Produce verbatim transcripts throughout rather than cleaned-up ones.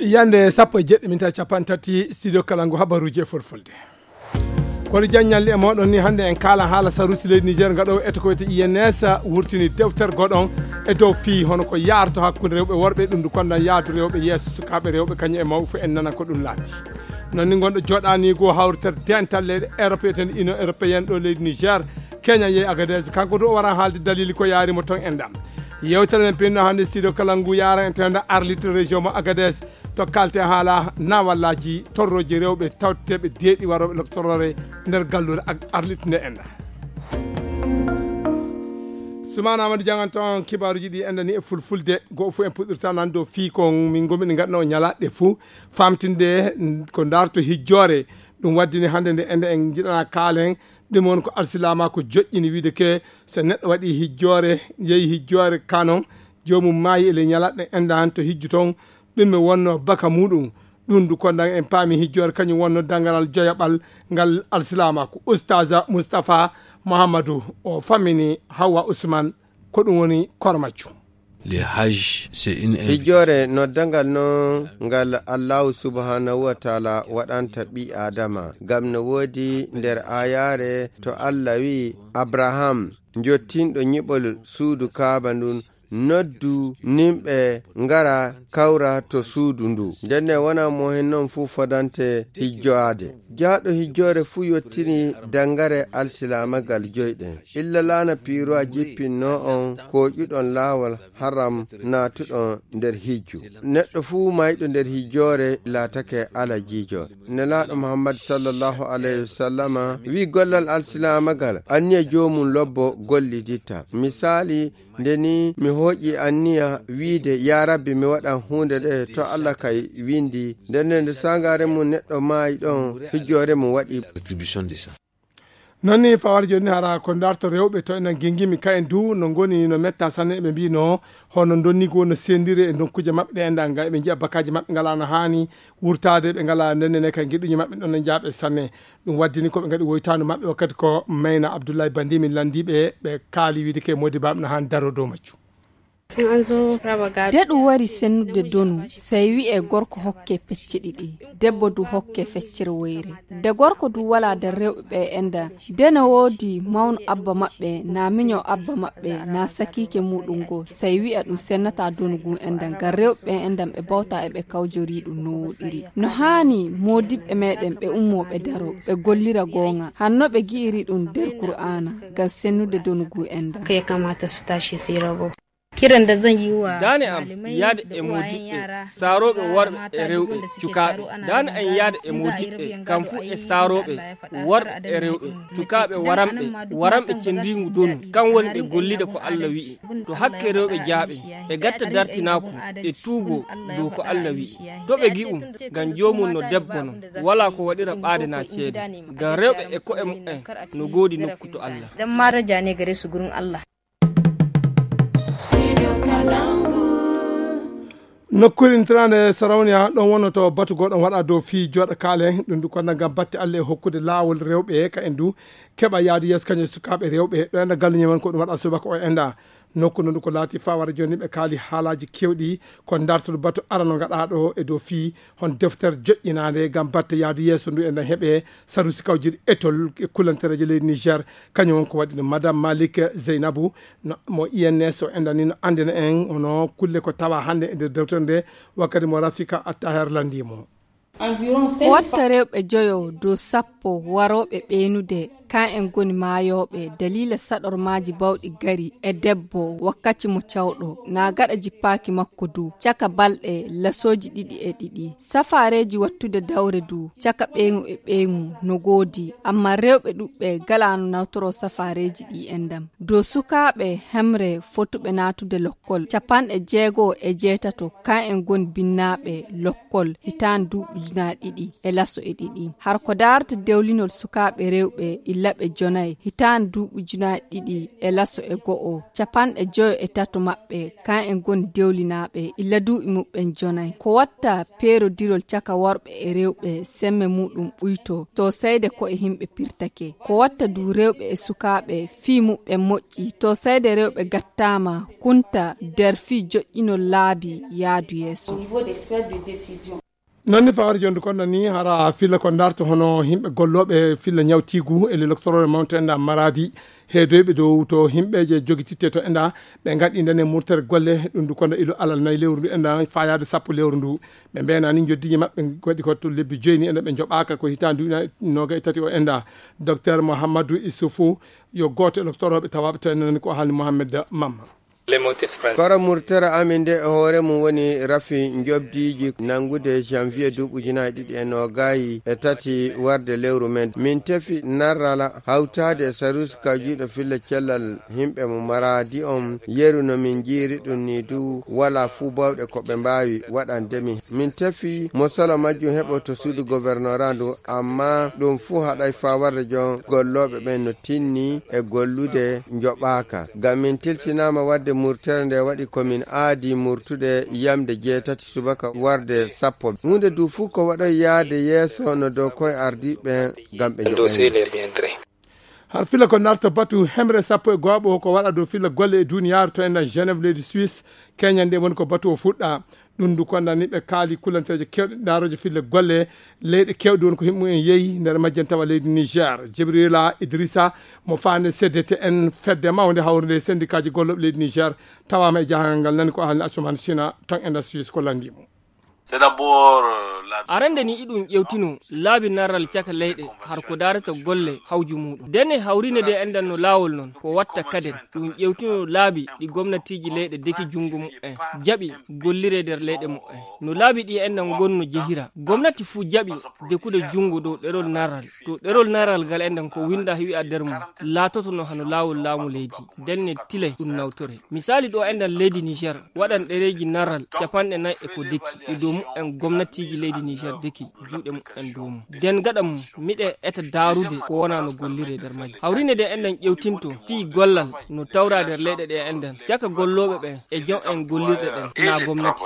Yande sappo e jeɗɗi minta capanɗe tati, studio kala ngu habaruji e fulfulde. Kono jaññalli e moɗon ni, hannde en kaala haala sarusi leydi Niger ngaɗo eto ko wiyete I N S wurtini defter goɗon e dow fii hono ko yaarto hakkunde rewɓe worɓe, ɗum ndu kondan yaadu rewɓe yeeso, sukaaɓe rewɓe kañum e mawɓe fof en nana ko ɗum laati. Noon ni ngonɗo joɗani go hawritere dental leyɗe Europe, eten Union Européenne ɗo leydi Niger, Kenya yehi Agadez, kanko du o wara haalde dalili ko yaari mo toon enɗam. Yewtere men pinno hannde studio kala ngu yaara en tenda Arlit région mo Agadez, to kalte haala nawallaji torroji rewɓe tawteɓe deeɗi waroɓe loktoroore nder gallure Arlit nde enɗa. Sumana Amadou Diangan toon kibaruji ɗi enɗa ni e fulfulde, go fof en puɗɗirta nan dow fii ko min ngomi ɗi ngaɗno ñalaɗe fof famtinde ko darto hijjore. Ɗum waddini hannde nde enɗa en jiɗana kaalen, ɗum woni ko alsilaama ko joƴƴini wiide ke, so neɗɗo waɗi hijjore, yehi hijjore kanon, joomum maayi e ley ñalaɗe enɗa han to hijju toon, ɗum mi wonno baka muɗum. Ɗum ndu kondan en paami hijjore kañum wonno danganal joyaɓal ngal alsilaama ko Ustaza Mustapha Muhammadu o fammini Hawwa Usman ko ɗum woni kormaccu. Le hajj, c'est une invitation. Hijjore noddangal noon ngal Allahu subhanahu wa taala waɗanta ɓi Adama, ngam no woodi nder ayaare to Allah wi'i, "Abraham, jottinɗo nyiɓol suudu Kaaba ndun, noddu nimɓe ngara kawra to suudu ndu." Ndenne wona mo hen noon fuu fodante hijjoade. Jaaɗo hijjoore fuu yottini dangare alsilaamagal joyɗen. Illa laana piiruwa jippinno on kooƴuɗon laawol haram naatuɗon nder hijju. Neɗɗo fuu mayɗo nder hijjoore laatake alajiijo. Nelaaɗo Muhammad sallallahu alayhi wa sallama wi'i gollal alsilaamagal, anniya joomum lobbo golliditta. Misaali, nde ni mi hooƴi anniya wiide, "Ya Rabbi, mi waɗan huunde nde to Allah kay windi." Nden nde, nde saagaare mum neɗɗo maayi ɗon, hijjoore mum waɗi. Attribution de ça. Noon ni fawar jooni hara ko darto rewɓe to enen gingimi ka en du no ngoni no metta sanne, ɓe mbino hono donnigi won no sendire e nokkuuje maɓɓe ɗe enɗa nga eɓe njiya bakaji maɓɓe ngala no haani wurtaade, ɓe ngala ndennene kay giɗuji maɓɓe ɗon no njaaɓe sanne. Ɗum waddini ko ɓe ngaɗi woytaandu maɓɓe wakkati ko Mayna Abdoulaye Bandi min landiiɓe, ɓe kaali wiide ke modi baɓe no haani daro dow majju. De ɗum wari sennude donu, sey wi'e gorko hokke pecce ɗiɗi, debbo du hokke feccere woyre. De gorko du wala nder rewɓe ɓe enɗa, de no woodi mawno abba maɓɓe, na miño abba maɓɓe, na sakiike muɗum go, sey wi'a ɗum sennata donu gun enɗa, ngam rewɓe ɓe enɗa ɓe bawta e ɓe kawjori ɗum no woɗiri. No haani moodibɓe meɗen ɓe ummo ɓe daro, ɓe gollira goonga, hanno ɓe gi'iri ɗum nder Kur'aana, ngam sennude donu gun enɗa. Kiran da zan yi wa Daane am malamai yaada da e uwayen moodiɓɓe yara saarooɓe maza worɓe mata e da rewɓe wanda suke cukaaɓe. Taro ana Daane am yaada e moodiɓɓe kam fuu e saarooɓe worɓe e rewɓe cukaaɓe waramɓe, waramɓe cendiingu donu, kam woni ɓe gollida ko Allah wi'i. To hakke rewɓe jaaɓe, ɓe gatta dartinaaku, ɓe tuugo dow ko Allah wi'i. To ɓe gi'um, ngam joomum no debbo no, walaa ko waɗira ɓaade naa ceede. Ngam rewɓe e ko'e mu'en no goodi nokku to Allah. Dan mara jane gare su gurin Allah. Nokkuure intirande Sarauniya ɗon wonno to batu goɗɗo waɗa dow fii joɗa kaalen ɗum du konda ngam batte Allah e hokkude laawol rewɓe ka en du keɓa yaadu yeeso kañum e sukaaɓe rewɓe ɗo enda galluñe men ko ɗum waɗa subaka o enda nokku ndu ko laati fawara joni ɓe kaali haalaji kewɗi ko dartoɗo batu arano gaɗaɗo e dow fii hon deftere joƴƴinaande ngam batte yaadu yeeso ndu enda heɓe sarusi kawjiri etol e kullantereeje leydi Niger. Kañum won ko waɗi ɗum Madame Malik Zeynabu, no, mo I N S o enɗani no anndina en hono kulle ko tawa hannde e nder dewtere nde, wakkati mo Rafika Attaher lanndii mo. Ko watta rewɓe joyo dow sappo warooɓe ɓeynude, kan en ngoni maayooɓe daliila saɗormaaji bawɗi gari e debbo wakkati mo cawɗo, naa gaɗa jippaaki makko du, caka balɗe lasooji ɗiɗi e ɗiɗi. Safaareeji wattude dawre du, caka ɓeyngu e ɓeyngu no goodi, ammaa rewɓe ɗuɓɓe galaano nawtoroo safaareeji ɗi enɗam. Dow sukaaɓe hemre fotuɓe naatude lokkol, capanɗe jeego e jeetato, kan en ngoni binnaaɓe lokkol hitaande duuɓi ujunaaji ɗiɗi e laso e ɗiɗi. Har ko daarata dewlinol sukaaɓe rewɓe Laɓe jonayi, hitaande duuɓi ujunaaji ɗiɗi e laso e go'o, capanɗe joyo e tato maɓɓe, kan en ngoni dewlinaaɓe illa duuɓi muɓɓen jonayi. Ko watta peerodirol caka worɓe e rewɓe, semme muɗum ɓuyto, to sayde ko e himɓe pirtake. Ko watta du rewɓe e sukaaɓe fii muɓɓen moƴƴi, to sayde rewɓe gattaama kunta der fii joƴƴinol laabi yaadu yeeso. Non ni fawar jondu kon nani hara filla ko darto hono himɓe gollooɓe filla ñawtiigu e le docteur mountain da maradi, heedoyɓe dow to himɓe je jogititte to enda ɓe ngaɗi nden e murtere golle. Ɗum du kono ilo alal nayi lewru ndu enda fayaade sappo lewru ndu. Ɓe mbeenani njoddiiji maɓɓe waɗi ko to lebbi joyni enda ɓe njoɓaaka ko hitaande duuɓi noga e tati o enda. Docteur Mohammadu Isufu yo gooto e docteur oɓe tawaaɓe to enda nani ko haalni Mohammed Mamma. Koro murtere amin nde e hoore mum woni rafi njobdiiji nanngude janvier duuɓi ujunaaji ɗiɗi e noogaayi e tati warde lewru men. Min tefi narrala hawtaade e saruus kawjiiɗo filla cellal himɓe mo maraadi on yeru no min njiiri ɗum ni du wala fuu bawɗe ko ɓe mbaawi waɗande min. Min tefi mo solo majjum heɓo to suudu gouvernora ndu, amma ɗum fuu haɗay faa warde jon gollooɓe ɓen no tinni e gollude njoɓaaka. Ngam min tilsinaama waɗde murtere nde waɗi ko min aadi murtude yamde jeetati subaka warde sappo. Huunde du fuu ko waɗoy yaade yeeso no dow koye ardiiɓe ngam ɓe njoɓa. Har fila ko narta batu hemre sappo e gooɓo ko waɗa dow fila golle e duniyaaru to enɗan Genève leydi Suisse. Keñan nde woni ko batu o fuɗɗa. Ɗum du kondani ɓe kaali kullanteeje kewɗe daarooje fille golle leyɗe kewɗe woni ko himmu en yeeyi nder majjan tawa leydi Niger. Jibrila Idrissa mo faande C D T N fedde mawnde hawrude e sendikaaji gollooɓe leydi Niger tawaama e jahangal ngal nani ko ahli Asuman Sina ton e nder Suisse ko lanndi mo. Arande ni iɗum ƴewtino laabi narral caka leyɗe har ko daarata golle hawju muɗum. Denne hawrine de enɗan no laawol non ko watta kaden ɗum ƴewtino laabi ɗi gomnatiiji leyɗe deki junngo mu'en jaɓi gollire nder leyɗe mu'en. No laabi ɗi enɗan ngonno jehira gomnati fuu jaɓi dekude junngo dow ɗerol narral to ɗerol narral ngal enɗan ko winnda wi'a nder mum laatotono hano laawol laamu leydi. Denne tilay ɗum nawtore misaali ɗo enɗan leydi Niger waɗan ɗereeji narral capanɗe nayi e ko deki e dow mu'en gomnatiiji leydi Niger deki juuɗe mu'en dow mum. Den gaɗa mum miɗe eta daarude ko wona no gollire nder majji hawrine de enɗan ƴewtinto fii gollal no tawra nder leyɗe ɗe enɗan caka gollooɓe ɓen e jom en gollirɗe ɗen na gomnati.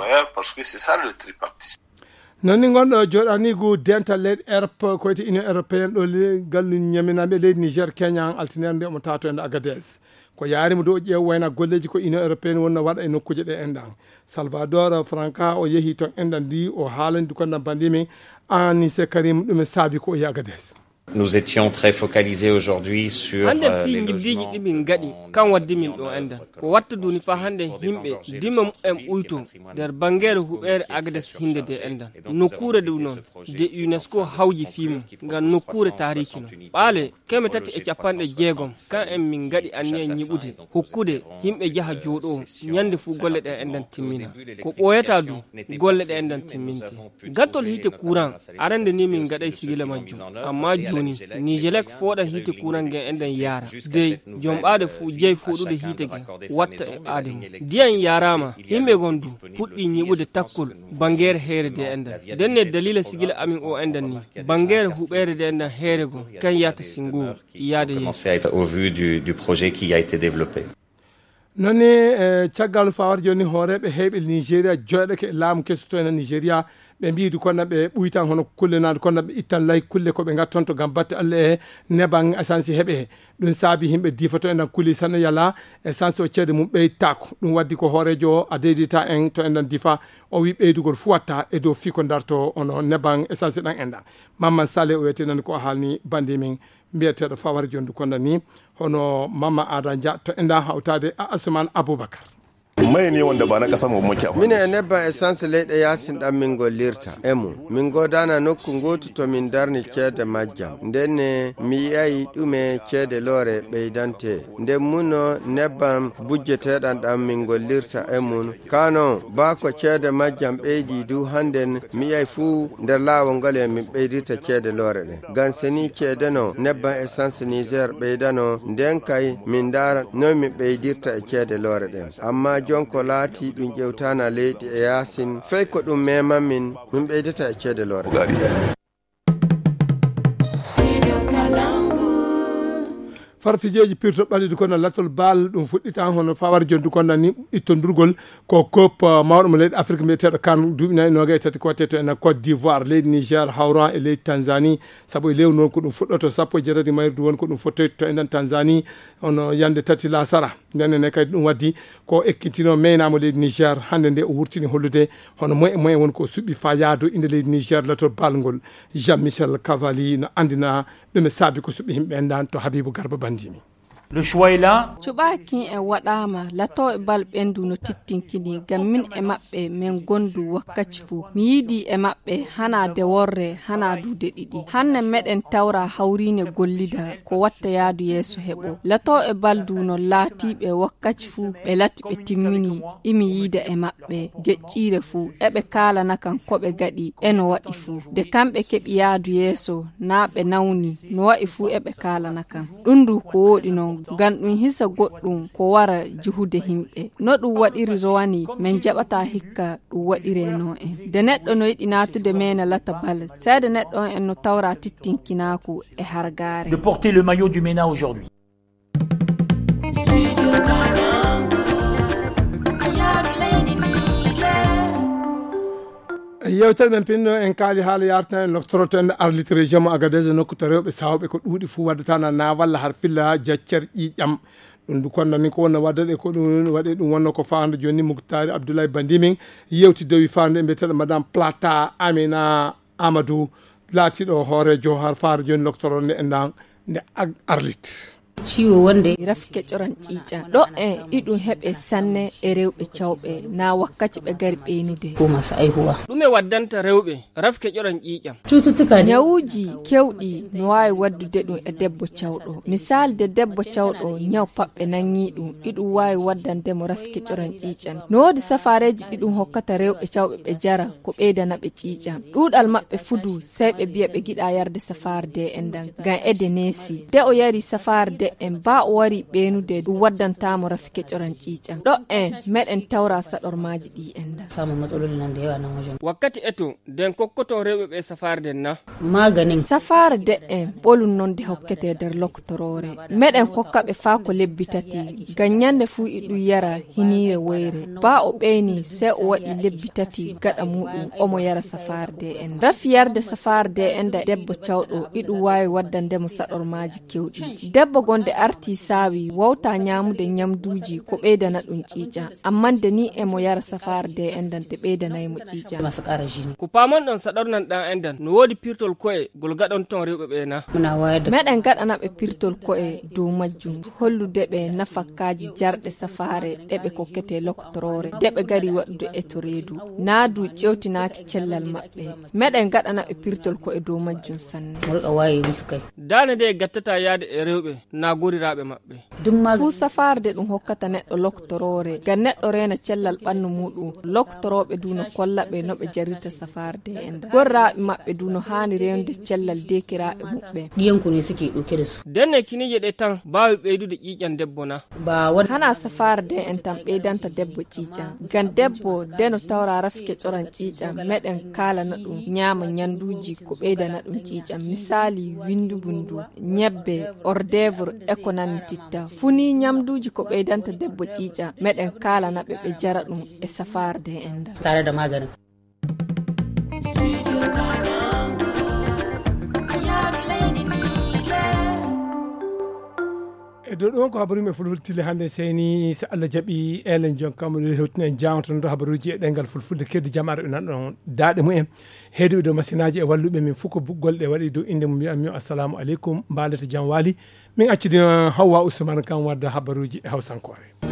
Nonni gonɗo joɗanigu dental leyɗe Europe ko wiyte Union Européenne ɗo gallu ñaminaaɓe leydi Niger keñan altinere nde omo tato e nder Agadez. Ko yaari mo dow ƴeew wayna golleeji ko Union Européenne wonno waɗa e nokkuuje ɗe enɗan. Salvador Franca o yehi ton enɗan ndi o haalandi ko ndan bandimi Anise Karim ɗum e saabi ko o yehi Agadez. Nous étions très focalisés aujourd'hui sur hande fii ngiddiiji ɗi min ngaɗi kan waddi min ɗo enɗan ko watta duni fa hande himɓe dimma mu'en ɓuyto nder bangeere huɓeere Agadez hinde de enɗan nokkuure du noon de UNESCO hawji fii mum ngam nokkuure taariki non ɓaale keme tati e capanɗe jeegom kan en min ngaɗi anniya ñiɓude hokkude yimɓe jaha jooɗoo ñande fuu golle ɗe enɗan timmina ko ɓooyata du golle ɗe enɗan timminte gattol hiite kuran arande ni min ngaɗay sigila majjum amma jooni nijelek fooɗa hiite kuran gen enɗan yaara dey jomɓaade fuu jey fooɗude hiite gen watta e ɓaade mum ndiyan yaaraama yimɓe gon du puɗɗi ñiɓude takkol bangeere heere de enɗan ndenne dalila sigila amin o enɗan ni bangeere huɓeere de enɗan heere gon kan yata singo yaade yeeso. Au vu du, du projet qui a été développé. Noni e caggal fawar joni hooreɓe heɓe Nigeria joɗake e laamu kesu to ena Nigeria ɓe mbiidi kono ɓe ɓuytan hono kulle naade kono ɓe ittan lay kulle ko ɓe gattonto gam batte Allah e neban essence heɓe. Ɗum saabi himɓe difa to enen kuli sano yala essence o ceede mum ɓeytako ɗum waddi ko hoorejo o a deydita en to enen difa o wi ɓeydugol fu watta e dow fii ko darto hono neban essence ɗan enɗan. Mamman Sale o wiyete nani ko haalni bandi min mbiyeteeɗo Fawar Jondu kono ni hono Mama Ada Dia to enɗan hawtaade a Asuman Abubakar. Mai ne wanda ba na ƙasa mu muke amfani. Mine e nebban essence leyɗe yaasin ɗan min gollirta e mum. Min goodana nokku ngootu to min darni ceede majjam. Ndenne mi yi'ay ɗume ceede loore ɓeydante. Nden muno nebban bujjeteeɗan ɗan min gollirta e mum. Kano baa ko ceede majjam ɓeydi du hannden mi yi'ay fuu nder laawol ngol e min ɓeydirta ceede loore ɗen. Ngam seni ceede no nebban essence Niger ɓeydano nden kay min ndaara noy min ɓeydirta e ceede loore ɗen. Amma jon ko laati ɗum ƴewtana leydi e yaasin fey ko ɗum meman min min ɓeydata e ceede loore ɗen. Farfijeeji pirto ɓalliɗi kono latol baal ɗum fuɗɗita hono fawar jondu kono ni ittondurgol ko kop mawɗo mo leydi Afrique mbiyeteeɗo kan duuɓi nayi noga e tati ko watte to en Côte d'Ivoire, leydi Niger hawran e leydi Tanzanie. Sabu e lewru noon ko ɗum fuɗɗoto sappo e jeetati mayrudu woni ko ɗum fottoyto to enen Tanzanie, hono yande tati lasara. Ndenen ne kadi ɗum waddi ko ekkitino meynamo leydi Niger hannde nde o wurtini hollude hono moye e moye woni ko suɓi fa yaado inde leydi Niger latol balngol. Jean Michel Cavalli no andina ɗum e saabi ko suɓi himɓe en dan to Habibu Garba Bandimi. Le choix est là. Cuɓaakin en waɗaama, latooɓe bal ɓendu no tittinkini, ngam min e maɓɓe men gondu wakkaci fuu. Mi yiidi e maɓɓe hana de worre, hana du de ɗiɗi. Hanne meɗen tawra hawriine gollida, ko watta yaadu yeeso heɓo. Latooɓe bal du no laatiiɓe wakkaci fuu, ɓe lati ɓe timmini, imi yiida e maɓɓe. Ɓe geƴƴiire fuu, eɓe kaalana kan ko ɓe gaɗi e no waɗi fuu. De kamɓe keɓi yaadu yeeso, naa ɓe nawni, no wa'i fuu eɓe kaalana kan. Ɗum du ko wooɗi non, ngam ɗum hisa goɗɗum ko wara juhude himɓe. No ɗum waɗiri rowani, men jaɓataa hikka ɗum waɗiree no en. De neɗɗo no yiɗi naatude meena lata bal, seede neɗɗo on en no tawra tittinkinaaku e hargaare. De porter le maillot du MENA aujourd'hui. Yewtere men pinno en kaali haala yartina en loktoroto en arlit région mo Agadez, nokku to rewɓe sawɓe ko ɗuuɗi fuu waddata na na walla har filla jaccer ƴiƴam. Ɗum du kono ni ko wonno waddade ko ɗum waɗe ɗum wonno ko fawande joni Muktari Abdoulaye Bandimin yewti dowi fawande e mbiyeteɗo Madame Plata Amina Amadou, laatiɗo hooreejo har faare joni loktoro nde enɗan nde ag-, arlit. Ciwo wonde. Rafi keƴoran ƴiiƴan. Ɗo en iɗum heɓe sanne e rewɓe cawɓe, na wakkaci ɓe gari ɓeynude. Ko masa aihuwa. Ɗume waddanta rewɓe rafi keƴoran ƴiiƴan? Cututtuka ne. Ñawuuji kewɗi no waawi waddude ɗum e debbo cawɗo. Misaali de debbo cawɗo ñaw paɓɓe nangi ɗum, iɗum waawi waddande mo rafi keƴoran ƴiiƴan. No woodi safaareeji ɗi ɗum hokkata rewɓe cawɓe ɓe jara, ko ɓeydana ɓe ƴiiƴam. Ɗuuɗal maɓɓe fudu, sey ɓe biya ɓe giɗa yarde safaare de en dan, ngam ede neesi. De o yari safaare de en, ba o wari ɓeenude, ɗum waddantaa mo rafi keƴoran ƴiiƴam. Ɗo en, meɗen tawra saɗormaaji ɗi en dan. Samun matsaloli nan da yawa nan wajen. Wakkati eto, den kokkoton rewɓe ɓe safaare den na? Maganin. Safaare de en, ɓolum non de hokkete nder lokotoroore. Meɗen kokka ɓe faa ko lebbi tati, ngam ñande fuu iɗum yara hiniire woyre. Ba o ɓeyni, sey o waɗi lebbi tati gaɗa muɗum, omo yara safaare de en. Rafi yarde safaare de en da debbo cawɗo, iɗum waawi waddande mo saɗormaaji kewɗi. Debbo gonde arti saawi, wawta ñaamude ñamduuji ko ɓeydana ɗum ƴiiƴam. Amma nde ni emo yara safaare de en dan te ɓeydanay mo ƴiiƴam. Masu ƙara jini. Ko paamonɗon saɗornan ɗan en dan, no woodi pirtol ko'e gol gaɗonton rewɓe ɓe na? Muna wayar da. Meɗen gaɗana ɓe pirtol ko'e dow majjum, hollude ɓe nafakkaaji jarɗe safaare ɗe ɓe kokkete lokotoroore, de ɓe gari waɗude eto reedu. Naa du ƴewtinaaki cellal maɓɓe. Meɗen gaɗana ɓe pirtol ko'e dow majjum sanne. Mu riƙa waye musu kai. Daane de gattata yaade e rewɓe na goriraaɓe maɓɓe. Ɗum ma. Fuu safaare de ɗum hokkata neɗɗo lokotoroore, ngam neɗɗo reena cellal ɓannu muɗum. Lokotorooɓe du no kolla ɓe no ɓe jarirta safaare de en dan. Goriraaɓe maɓɓe du no haani reenude cellal deekiraaɓe muɓɓen. Ɗiyanku ne suke ɗauke da su. Denne kiniije ɗe tan baawi ɓeydude ƴiiƴan debbo na? Ba wani. Hana safaare de en tan ɓeydanta debbo ƴiiƴam. Ngam debbo de no tawra rafi keƴoran ƴiiƴam, meɗen kaalana ɗum ñaama ñanduuji ko ɓeydana ɗum ƴiiƴam. Misaali, windu bundu, ñebbe, hors d'œuvre, e ko nanni titta. Fuu ni ñamduuji ko ɓeydanta debbo ƴiiƴam, meɗen kaalana ɓe ɓe jara ɗum e safaare de en dan. Tare da maganin. E dow ɗum ko habaru men fulfulde tile hannde seyni, so Allah jaɓi, elen jonkam hewtinen jangtondo habaruuji e ɗemngal fulfulde keddi jam arɓe nan ɗon daaɗe mumen. Heeduɓe dow masinaaji e walluɓe min fof ko bu-, golɗe waɗi dow innde mum, mbiyan mi assalamu aleykum, mbaalete jam waali. Min accidi, eh, Hawwa Usman kan wadda habaruuji e hawsankoore.